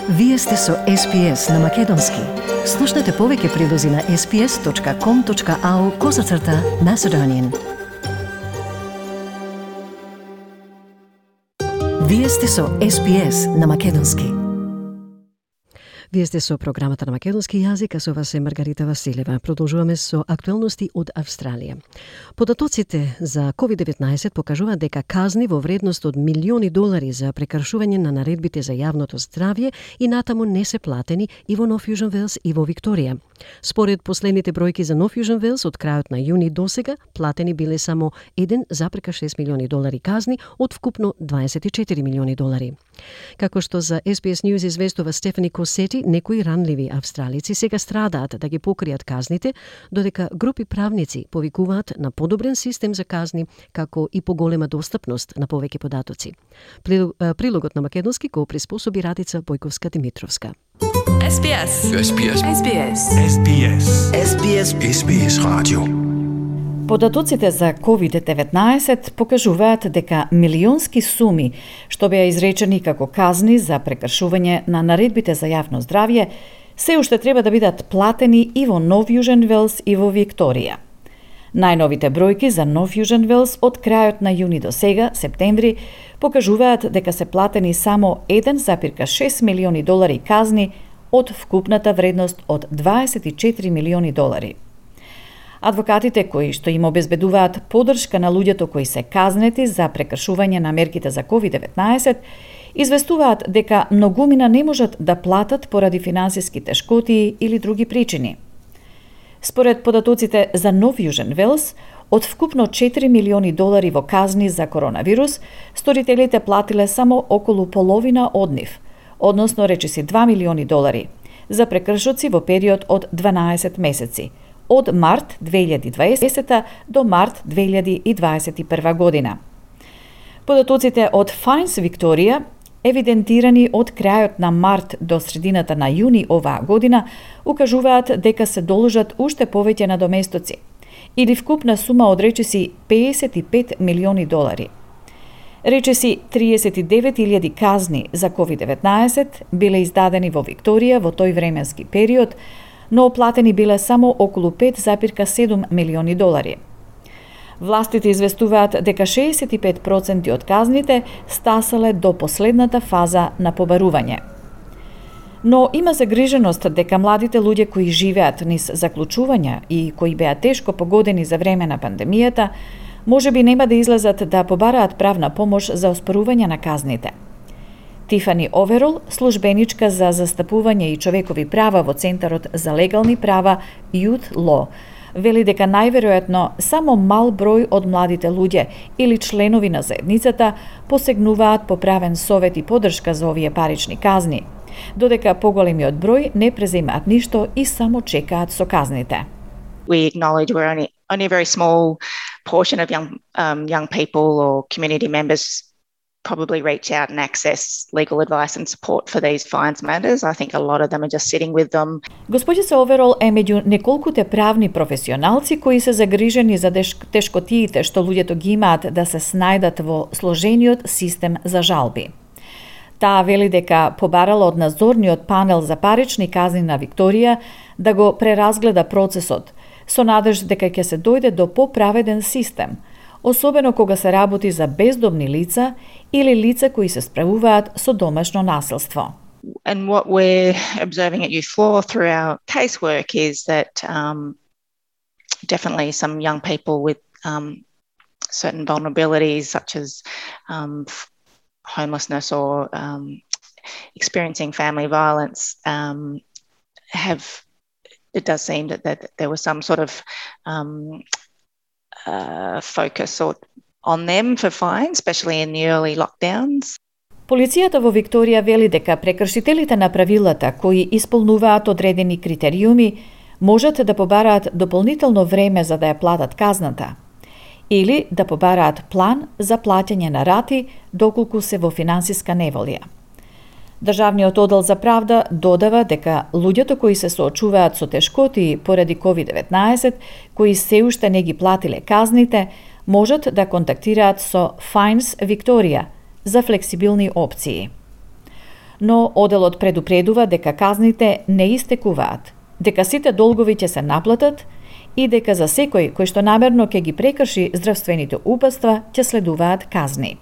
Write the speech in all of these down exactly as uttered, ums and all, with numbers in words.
Вие сте со Ес Би Ес на Македонски. Слушнете повеќе прилози на ес би ес точка ком точка ау козацрта Macedonian. Вие сте со Ес Би Ес на Македонски. Вие сте со програмата на македонски јазик, а со вас е Маргарита Василева. Продолжуваме со актуелности од Австралија. Податоците за ковид деветнаесет покажуваат дека казни во вредност од милиони долари за прекршување на наредбите за јавното здравје и натаму не се платени и во Нов Јужен Велс и во Викторија. Според последните бројки за Нов Јужен Велс, од крајот на јуни досега, платени биле само еден запрека шест милиони долари казни од вкупно дваесет и четири милиони долари. Како што за Ес Би Ес News известува Стефани Косети, некои ранливи австралици сега страдаат да ги покријат казните, додека групи правници повикуваат на подобрен систем за казни, како и поголема достапност на повеќе податоци. Прилогот на македонски го приспособи Радица Бојковска-Димитровска. Ес Би Ес. Ес Би Ес. Ес Би Ес. Ес Би Ес. Ес Би Ес. Ес Би Ес радио. Податоците за ковид деветнаесет покажуваат дека милионски суми што беа изречени како казни за прекршување на наредбите за јавно здравје се уште треба да бидат платени и во Нов Јужен Велс и во Викторија. Најновите бројки за Нов Јужен Велс од крајот на јуни до сега, септември, покажуваат дека се платени само еден запирка шест милиони долари казни од вкупната вредност од дваесет и четири милиони долари. Адвокатите кои што им обезбедуваат поддршка на луѓето кои се казнети за прекршување на мерките за ковид деветнаесет, известуваат дека многумина не можат да платат поради финансиски тешкоти или други причини. Според податоците за Нов Јужен Велс, од вкупно четири милиони долари во казни за коронавирус, сторителите платиле само околу половина од нив, односно речиси два милиони долари, за прекршоци во период од дванаесет месеци, од март две илјади и дваесета до март две илјади и дваесет и прва година. Податоците од Fines Викторија, евидентирани од крајот на март до средината на јуни оваа година, укажуваат дека се должат уште повеќе надоместоци, или вкупна сума од речиси педесет и пет милиони долари. Речиси триесет и девет илјади казни за ковид деветнаесет биле издадени во Викторија во тој временски период, но оплатени биле само околу пет запирка седум милиони долари. Властите известуваат дека шеесет и пет проценти од казните стасале до последната фаза на побарување. Но има загриженост дека младите луѓе кои живеат низ заклучувања и кои беа тешко погодени за време на пандемијата, можеби нема да излезат да побараат правна помош за оспорување на казните. Тифани Оверол, службеничка за застапување и човекови права во Центарот за легални права Youth Law, вели дека најверојатно само мал број од младите луѓе или членови на заедницата посегнуваат по правен совет и поддршка за овие парични казни, додека поголемиот број не преземаат ништо и само чекаат со казните. We acknowledge we're only only a very small portion of young um, young people or community members probably reach out and access legal advice and support for these fines matters. I think a lot of them are just sitting with them. Госпоѓица Оверол е меѓу неколкуте правни професионалци кои се загрижени за тешкотиите што луѓето ги имаат да се снајдат во сложениот систем за жалби. Таа вели дека побарала од надзорниот панел за парични казни на Викторија да го преразгледа процесот, со надеж дека ќе се дојде до поправеден систем, особено кога се работи за бездомни лица или лица кои се справуваат со домашно насилство. And what we're observing at Youth Law through our casework is that um, definitely some young people with um, certain vulnerabilities such as um, homelessness or um, experiencing family violence um, have, it does seem that, that there was some sort of um, Uh, focus or, on them for fines, especially in the early lockdowns. Полицијата во Викторија вели дека прекршителите на правилата кои исполнуваат одредени критериуми можат да побараат дополнително време за да ја платат казната или да побараат план за плаќање на рати доколку се во финансиска неволја. Државниот оддел за правда додава дека луѓето кои се соочуваат со тешкоти поради ковид деветнаесет, кои се уште не ги платиле казните, можат да контактираат со Fines Викторија за флексибилни опции. но оделот предупредува дека казните не истекуваат, дека сите долгови ќе се наплатат и дека за секој кој што намерно ќе ги прекрши здравствените упатства ќе следуваат казни.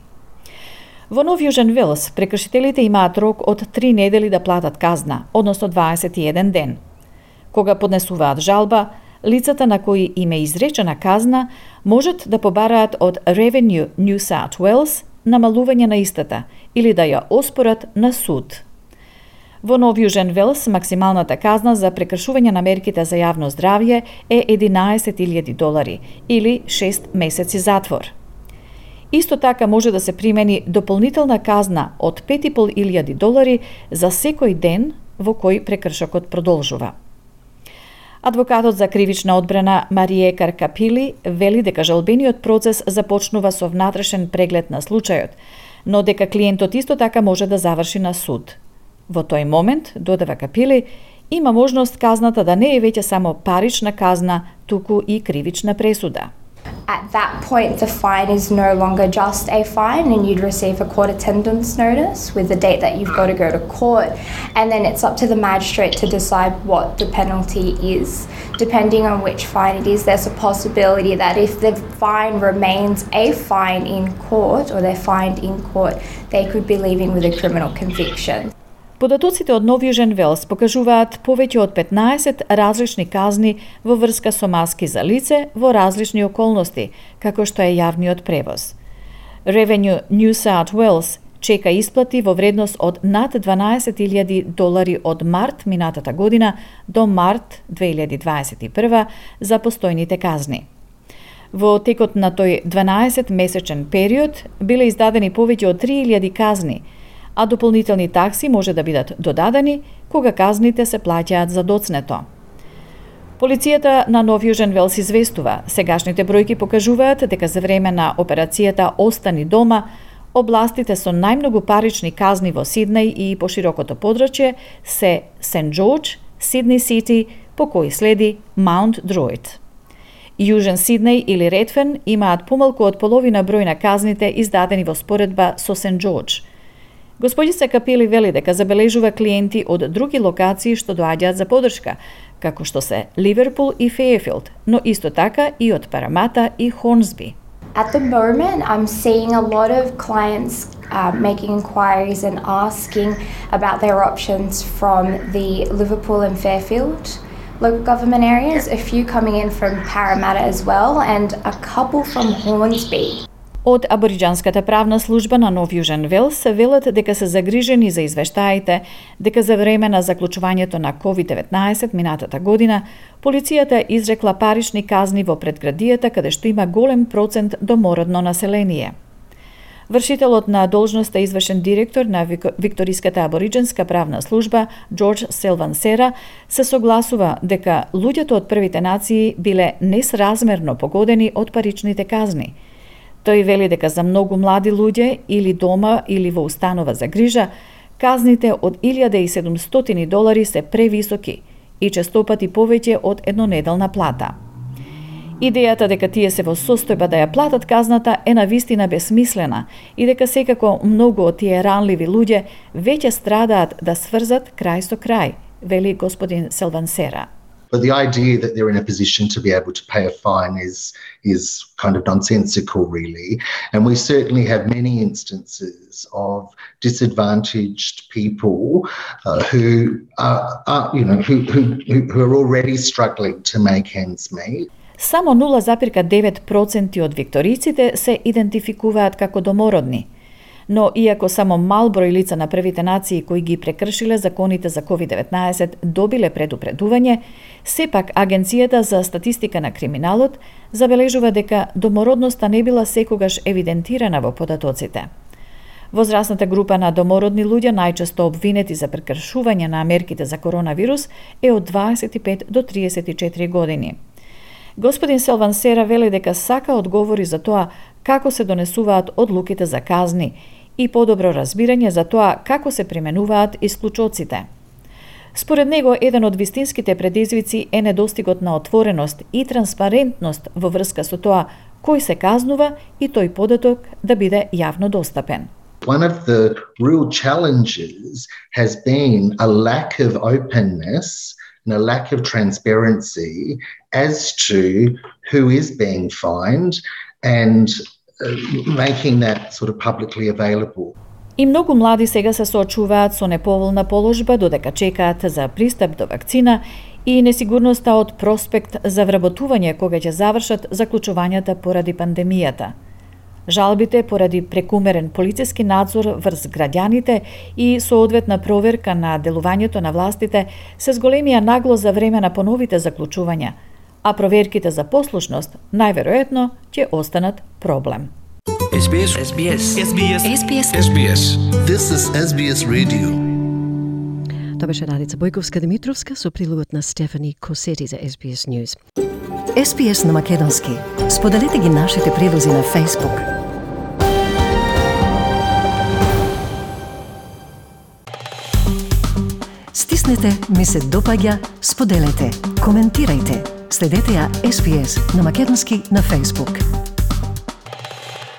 Во Нов Јужен Велс прекршителите имаат рок од три недели да платат казна, односно дваесет и еден ден. Кога поднесуваат жалба, лицата на кои им е изречена казна можат да побараат од Revenue New South Wales намалување на истата или да ја оспорат на суд. Во Нов Јужен Велс максималната казна за прекршување на мерките за јавно здравје е единаесет илјади долари или шест месеци затвор. Исто така може да се примени дополнителна казна од пет и пол илјади долари за секој ден во кој прекршокот продолжува. Адвокатот за кривична одбрана Марие Каркапили вели дека жалбениот процес започнува со внатрешен преглед на случајот, но дека клиентот исто така може да заврши на суд. Во тој момент, додава Капили, има можност казната да не е веќе само парична казна, туку и кривична пресуда. At that point, the fine is no longer just a fine and you'd receive a court attendance notice with the date that you've got to go to court. And then it's up to the magistrate to decide what the penalty is. Depending on which fine it is, there's a possibility that if the fine remains a fine in court or they're fined in court, they could be leaving with a criminal conviction. Податоците од Нов Јужен Велс покажуваат повеќе од петнаесет различни казни во врска со маски за лице во различни околности, како што е јавниот превоз. Revenue New South Wales чека исплати во вредност од над дванаесет илјади долари од март минатата година до март две илјади дваесет и прва за постојните казни. Во текот на тој дванаесет месечен период биле издадени повеќе од три илјади казни, а дополнителни такси може да бидат додадени кога казните се плаќаат за доцнето. Полицијата на Нов Јужен Велс известува, сегашните бројки покажуваат дека за време на операцијата Остани дома, областите со најмногу парични казни во Сиднеј и по широкото подрачје се Сент Џорџ, Сидни Сити, по кои следи Маунт Друид. Јужен Сиднеј или Редферн имаат помалку од половина број на казните издадени во споредба со Сент Џорџ. Господица Капили вели дека забележува клиенти од други локации што доаѓаат за поддршка, како што се Ливерпул и Фејефилд, но исто така и од Парамата и Хорнсби. At the moment, I'm seeing a lot of clients uh, making inquiries and asking about their options from the Liverpool and Fairfield local government areas, a few coming in from Parramatta as well, and a couple from Hornsby. Од Абориџанската правна служба на Нов Јужен Велс се велат дека се загрижени за извештаите дека за време на заклучувањето на ковид деветнаесет минатата година, полицијата изрекла парични казни во предградијата каде што има голем процент домородно население. Вршителот на должноста извршен директор на Викториската абориџанска правна служба, Џорџ Селвансера, се согласува дека луѓето од првите нации биле несразмерно погодени од паричните казни. Тој вели дека за многу млади луѓе или дома или во установа за грижа, казните од илјада и седумстотини долари се превисоки и честопати повеќе од еднонеделна плата. Идејата дека тие се во состојба да ја платат казната е навистина бесмислена и дека секако многу од тие ранливи луѓе веќе страдаат да сврзат крај со крај, вели господин Селвансера. But the idea that they're in a position to be able to pay a fine is is kind of nonsensical, really. And we certainly have many instances of disadvantaged people uh, who are, are, you know, who, who who are already struggling to make ends meet. Само нула запирка девет проценти од викториците се идентификуваат како домородни. Но иако само мал број лица на првите нации кои ги прекршиле законите за ковид деветнаесет добиле предупредување, сепак Агенцијата за статистика на криминалот забележува дека домородноста не била секогаш евидентирана во податоците. Возрастната група на домородни луѓе најчесто обвинети за прекршување на мерките за коронавирус е од дваесет и пет до триесет и четири години. Господин Селвансера вели дека сака одговори за тоа како се донесуваат одлуките за казни и подобро разбирање за тоа како се применуваат исклучоците. Според него, еден од вистинските предизвици е недостигот на отвореност и транспарентност во врска со тоа кој се казнува и тој податок да биде јавно достапен. One of the real challenges has been a lack of openness and a lack of transparency as to who is being fined and uh, making that sort of publicly available. И многу млади сега се соочуваат со неповолна положба додека чекаат за пристап до вакцина и несигурноста од проспект за вработување кога ќе завршат заклучувањата поради пандемијата. Жалбите поради прекумерен полициски надзор врз граѓаните и соодветна проверка на делувањето на властите се зголемија нагло за време на поновите заклучувања, а проверките за послушност најверојатно ќе останат проблем. S B S. S B S. S B S. S B S. S B S. This is S B S Radio. Тоа беше Радица Бојковска-Димитровска со прилогот на Стефани Косети за S B S News. S B S на македонски. Споделете ги нашите прилози на Facebook. Стиснете, ми се допаѓа, споделете, коментирајте. Следете ја S B S на македонски на Facebook.